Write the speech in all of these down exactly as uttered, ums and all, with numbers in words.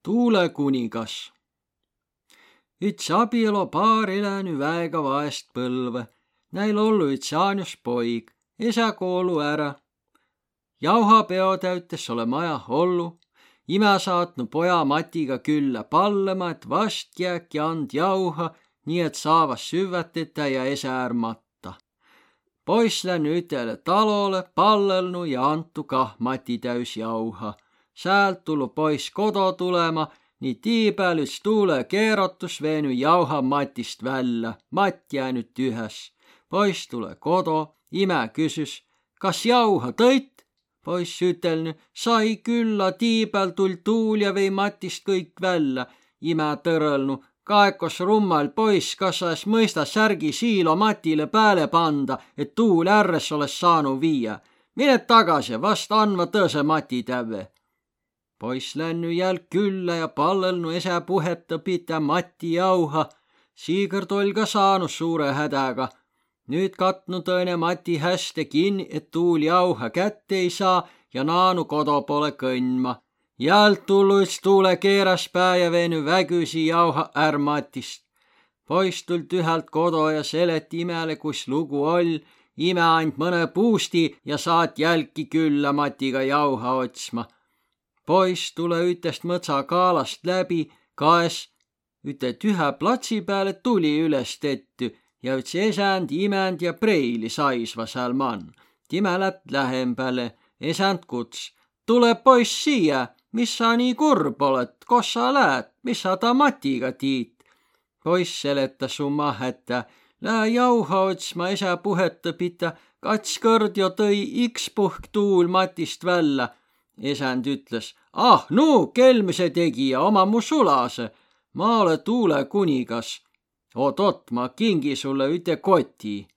Tuulekuningas. Üts abielopaar eläny väega vaest põlve. Näil ollu üts Jaanus poig, esä koolu ära. Jauhapeo täytes ole maja ollu. Imä saatnu poja Matiga küllä pallema, et vast jääki and jauha, nii et saavas süvvätetä ja esä ärmatta. Poiss länny ütele talole, pallelnu ja antu kah Mati täys jauha. Säält tullu poiss kodo tulema, nii tiipääl üts tuule keerotus veeny jauha Matist välja. Matt jäänyt tühäs. Poiss tule kodo, imä küsüs, kas jauha tõit? Poiss ütelny, sai külla, tiipääl tull tuul ja vei Matist kõik välja. Imä tõrõlnu, kaekos rummal poiss, kas sa es mõista särgi siilo Matile pääle panda, et tuul ärres oles saanu viia. Mine tagasi, vast andma tõse Mati täve. Poiss länny jälg külla ja pallelnu esä puhetta pitä Mati jauha. Siigõrd oll ka saanu suure hädäga. Nüüd katnu tõine Mati häste kinni, et tuul jauha kätte ei saa ja naanu kodo pole kõnma. Jält tullu üts tuule keeras pää ja veeny vägüsi jauha är Matist. Poiss tuld ühelt kodo ja selet imäle, kus lugu oll. Ime and mõne puusti ja saat jälki külla Matiga jauha otsma. Poiss tule ütest mõtsa kaalast läbi, kaes üte tühä platsi peale tuli üles tetty ja üts esänd, imänd ja preili saisva seal man. Time lät lähembäle, esänd kuts. Tule poiss siia, mis sa nii kurb oled, kos sa läät, mis sa ta Matiga tiit? Poiss seletas summa hätta, lää jauha otsma esä puhetta pitä, kats kõrd jo tõi iks puhk tuul Matist välja. Esänd ütles, ah, nu, kelmise tegija, oma mu sulase. Ma ole tuulekuningas. Oot-oot, ma kingi sulle üte koti.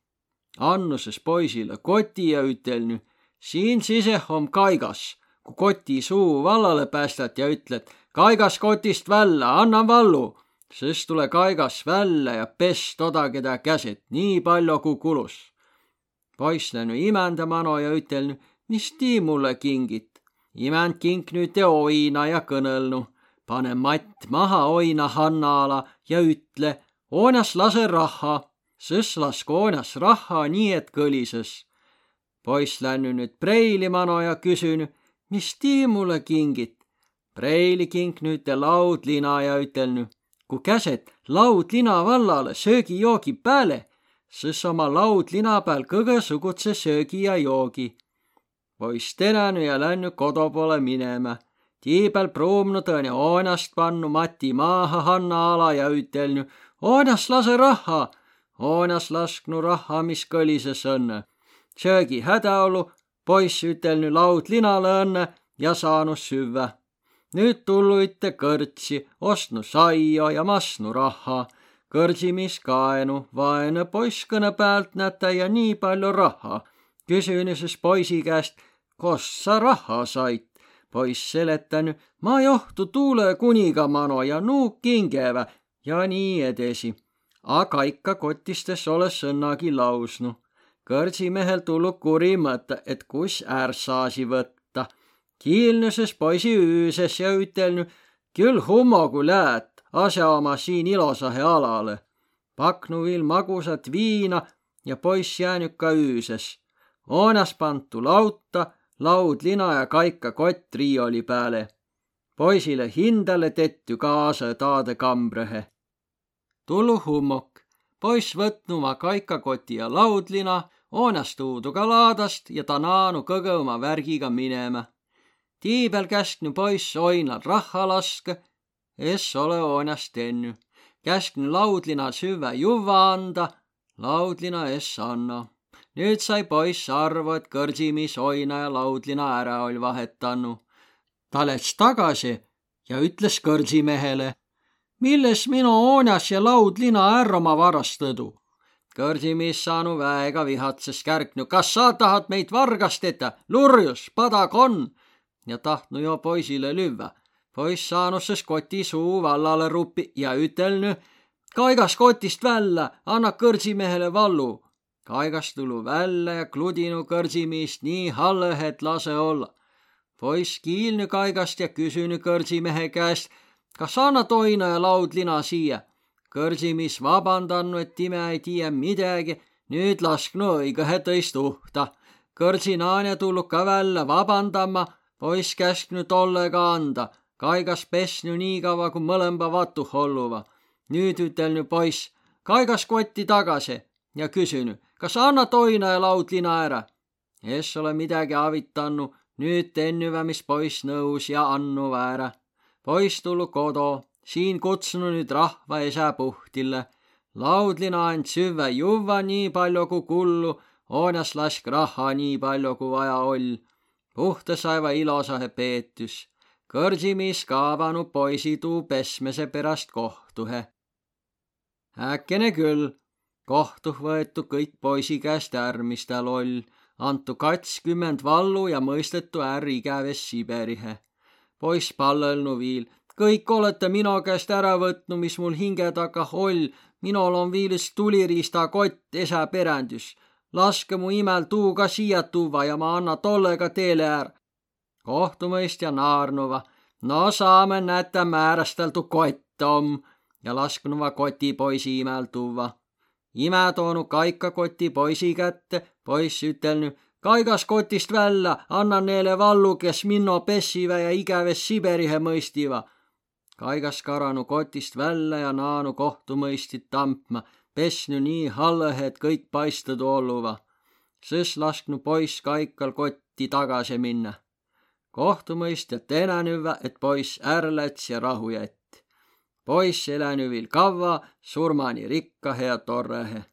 Annuses poisile koti ja ütelny, siin siseh on kaigas. Kui koti suu vallale päästad ja ütled, kaigas kotist välja, anna vallu. Sest tule kaigas välja ja pes toda, keda käset, nii palju kui kulus. Poiss länu imändamano ja ütelny, mis tii mulle kingit? Imänd kinknü te oina ja kõnelnu. Pane Matt maha oina Hanna-ala ja ütle, oonas lase raha. Sõs lask oonas raha nii, et kõlises. Poiss länny nüüd preili mano ja küsyny, mis tii mulle kingit? Preili kinknü te laudlina ja ütelny, kui käset laudlina vallale söögi joogi pääle, sõs oma laudlina peal kõgõsugutse söögi ja joogi. Poiss tenäny ja länny kodo pole minema. Tiibel pruumnu tõne oonast pannu Mati maaha Hanna-ala ja ütelny, oonas lase raha. Oonas lasknu raha, mis kõlises õnne. Söögi hädaolu, poiss ütelny laudlinale õnne ja saanu süvä. Nüüd tullu ütte kõrtsi, ostnu saia ja masnu raha. Kõrtsimis kaenu, vaene poiss kõne pealt nätä ja nii palju raha. Küsynises poisi käest, kos sa raha sait? Poiss seletäny, ma johtu tuulekuniga mano ja nuuk kingevä ja nii edesi. Aga ikka kotistes ole sõnnagi lausnu. Kõrtsimehel tullu kuri mõte, et kus är saasi võtta. Kiilnuses poisi üüses ja ütelny, küll hummogu läät, asja oma siin ilosahe alale. Paknu viil magusat viina ja poiss jäänyt ka üüses. Oonas pantu lauta, laudlina ja kaikka kott riioli pääle. Poisile hindale tetty kaasa taade kambrehe. Tullu hummok. Poiss võtnu ma kaikka koti ja laudlina, oonas tuudu ka laadast ja ta naanu kõgõ oma värgiga minema. Tiibel käsknu poiss oinal rahha laske, es ole oonas tenny. Käsknu laudlina süvä juva anda, laudlina es anna. Nüüd sai poiss arvu, et kõrtsimis oina ja laudlina ära oli vahetannu. Ta läks tagasi ja ütles kõrtsimehele, milles minu oonas ja laudlina ära oma varastõdu. Kõrtsimis saanu väega vihatses kärknu, kas sa tahad meid vargasteta, lurjus, padag on, ja tahtnu jo poisile lüvä. Poiss saanuses koti suu vallale rupi ja ütelny, kaigas kotist välja, anna kõrtsimehele vallu. Kaigas tulu välja ja kludinu kõrtsimiist nii hallehe, et lase olla. Poiss kiilny kaigast ja küsyny kõrtsimehe käest, kas anna toina ja laudlina siia. Kõrsimis vabandannu, et time ei tiiä midägi, nüüd lasknu õigõhe tõist uhta. Kõrsinaane tullu ka välja vabandama, poiss käsknu tollega anda, kaigas pesnu nii kaua, kui mõlemba vatu holluva. Nüüd ütelnu poiss, kaigas kotti tagasi ja küsynu, kas anna toina ja laudlina ära. Es ole midagi avitannu, nüüd tennüvä, mis poiss nõus ja annu väärä. Poiss tullu kodo, siin kutsunu nüüd rahva esä puhtille. Laudlina and süvä juvva nii palju kui kullu, oonas lask raha nii palju kui vaja oll. Puhta saiva ilosahe peetüs. Kõrsimis kaavanu poisi tuu pesmese pärast kohtuhe. Äkene küll, kohtuh võetu kõik poisi käest ärmista loll, antu kakskümmend vallu ja mõistetu ärr ikäves Siberihe. Poiss pallelnu viil, kõik olete minu käest ära võtnu, mis mul hinge taga oll, minul on viilis tuliriista kott esä perändüs. Laske mu imel tuuga siia tuua ja ma anna tollega teele är. Kohtumõistja naarnuva, no saame näete määrasteltu kott om ja lasknuva koti poisi imel tuua. Ime toonu kaika koti poisi kätte, poiss ütelnu, kaigas kotist välja, anna neile vallu, kes minno pessiva ja ikäves Siberihe mõistiva. Kaigas karanu kotist välja ja naanu kohtumõistit tampma, pesnu nii hallehe, et kõik paistadu olluva. Sõs lasknu poiss kaikal kotti tagasi minna. Kohtumõistja tenänüvä, et poiss ärläts ja rahu jätt. Poiss elänüvil kavva, surmani rikkahe ja torrehe.